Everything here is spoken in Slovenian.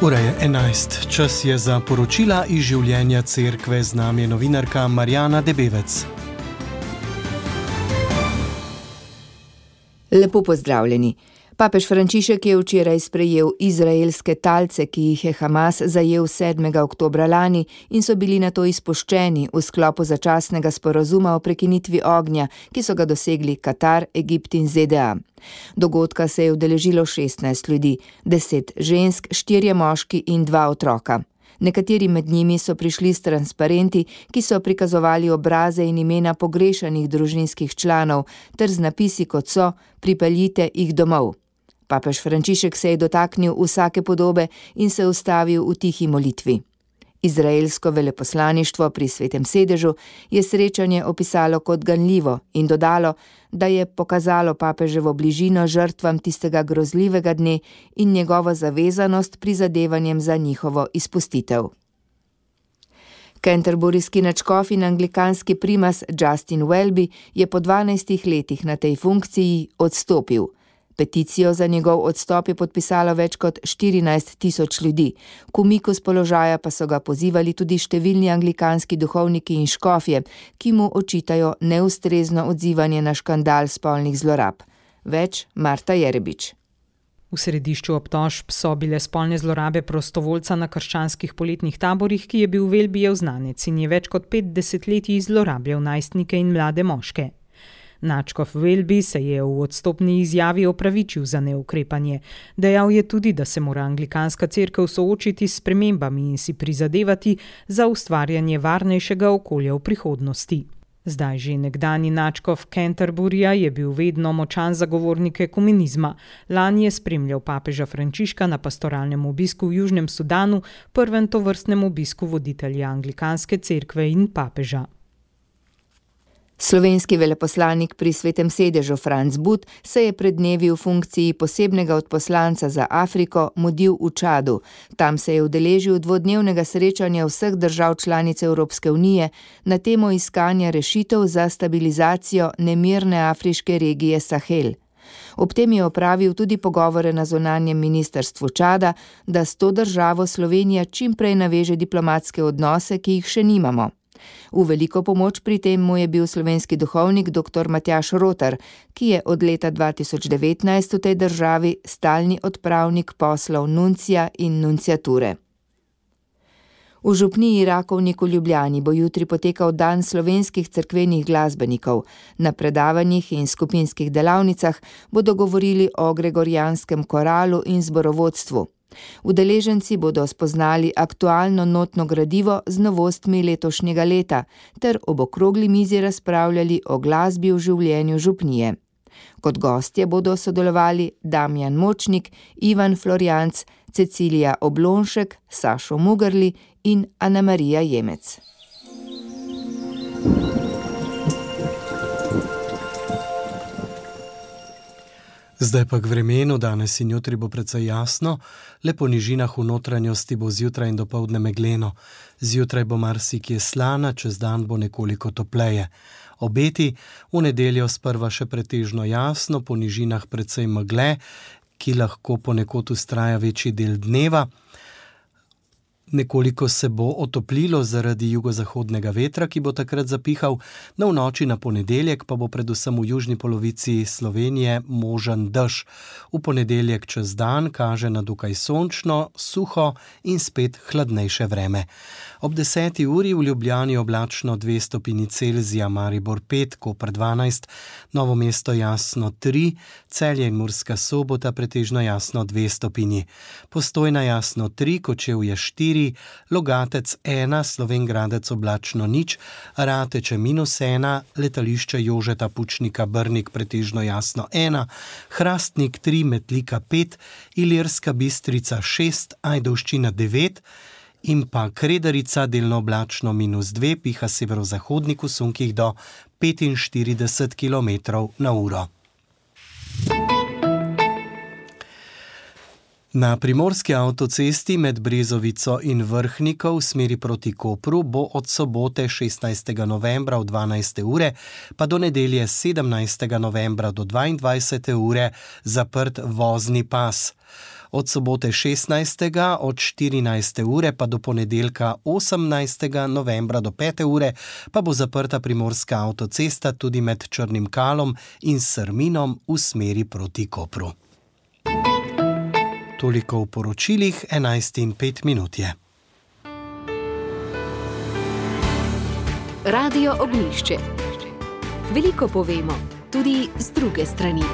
Ura je 11. Čas je za poročila iz življenja cerkve. Z nami je novinarka Marjana Debevec. Lepo pozdravljeni. Papež Frančišek je včeraj sprejel izraelske talce, ki jih je Hamas zajel 7. oktobra lani in so bili nato izpuščeni v sklopu začasnega sporazuma o prekinitvi ognja, ki so ga dosegli Katar, Egipt in ZDA. Dogodka se je udeležilo 16 ljudi, 10 žensk, 4 moški in 2 otroka. Nekateri med njimi so prišli s transparenti, ki so prikazovali obraze in imena pogrešanih družinskih članov, ter z napisi kot so: pripeljite jih domov. Papež Frančišek se je dotaknil vsake podobe in se ustavil v tihi molitvi. Izraelsko veleposlaništvo pri Svetem sedežu je srečanje opisalo kot ganljivo in dodalo, da je pokazalo papeževo bližino žrtvam tistega grozljivega dne in njegovo zavezanost prizadevanjem za njihovo izpustitev. Canterburyski nadškof in anglikanski primas Justin Welby je po 12 letih na tej funkciji odstopil. Peticijo za njegov odstop je podpisalo več kot 14.000 ljudi. K umiku s položaja pa so ga pozivali tudi številni anglikanski duhovniki in škofje, ki mu očitajo neustrezno odzivanje na škandal spolnih zlorab. Več Marta Jerebič. V središču obtožb so bile spolne zlorabe prostovoljca na krščanskih poletnih taborih, ki je bil Welbyjev znanec in je več kot 5 desetletij zlorabljal najstnike in mlade moške. Nadškof Welby se je v odstopni izjavi opravičil za neukrepanje. Dejal je tudi, da se mora anglikanska cerkev soočiti s spremembami in si prizadevati za ustvarjanje varnejšega okolja v prihodnosti. Zdaj že nekdanji nadškof Canterburyja je bil vedno močan zagovornik ekumenizma. Lani je spremljal papeža Frančiška na pastoralnem obisku v Južnem Sudanu, prvem tovrstnem obisku voditelja anglikanske cerkve in papeža. Slovenski veleposlanik pri Svetem sedežu Franc But se je pred dnevi v funkciji posebnega odposlanca za Afriko mudil v Čadu. Tam se je udeležil dvodnevnega srečanja vseh držav članic Evropske unije na temo iskanja rešitev za stabilizacijo nemirne afriške regije Sahel. Ob tem je opravil tudi pogovore na zunanjem ministrstvu Čada, da s to državo Slovenija čim prej naveže diplomatske odnose, ki jih še nimamo. V veliko pomoč pri tem mu je bil slovenski duhovnik dr. Matjaž Rotar, ki je od leta 2019 v tej državi stalni odpravnik poslov nuncija in nunciature. V župniji Rakovnik v Ljubljani bo jutri potekal dan slovenskih cerkvenih glasbenikov. Na predavanjih in skupinskih delavnicah bodo govorili o gregorijanskem koralu in zborovodstvu. Udeleženci bodo spoznali aktualno notno gradivo z novostmi letošnjega leta ter ob okrogli mizi razpravljali o glasbi v življenju župnije. Kot gostje bodo sodelovali Damjan Močnik, Ivan Florjanc, Cecilija Oblonšek, Sašo Mugrli in Ana Marija Jemec. Zdaj pa k vremenu. Danes in jutri bo precej jasno, le po nižinah v notranjosti bo zjutraj in dopoldne megleno. Zjutraj bo marsikje slana, čez dan bo nekoliko topleje. Obeti: v nedeljo sprva še pretežno jasno, po nižinah precej megle, ki lahko ponekod vztraja večji del dneva. Nekoliko se bo otoplilo zaradi jugozahodnega vetra, ki bo takrat zapihal. V noči na ponedeljek pa bo predvsem v južni polovici Slovenije možen dež. V ponedeljek čez dan kaže na dokaj sončno, suho in spet hladnejše vreme. Ob 10. uri v Ljubljani oblačno 2 stopinji Celzija, Maribor 5, Koper 12, Novo mesto jasno 3, Celje in Murska Sobota pretežno jasno 2 stopinji. Postojna jasno 3, Kočevje 4, Logatec 1, Slovenj Gradec oblačno 0, Rateče -1, Letališče Jožeta Pučnika Brnik pretežno jasno 1, Hrastnik 3, Metlika 5, Ilirska Bistrica 6, Ajdovščina 9 in pa Kredarica delno oblačno -2, piha severozahodnik v sunkih do 45 km/h. Na primorski avtocesti med Brezovico in Vrhnico v smeri proti Kopru bo od sobote 16. novembra v 12. ure pa do nedelje 17. novembra do 22. ure zaprt vozni pas. Od sobote 16. od 14. ure pa do ponedeljka 18. novembra do 5. ure pa bo zaprta primorska avtocesta tudi med Črnim Kalom in Srminom v smeri proti Kopru. Toliko v poročilih, 11:05 je. Radio Ognjišče. Veliko povemo, tudi z druge strani.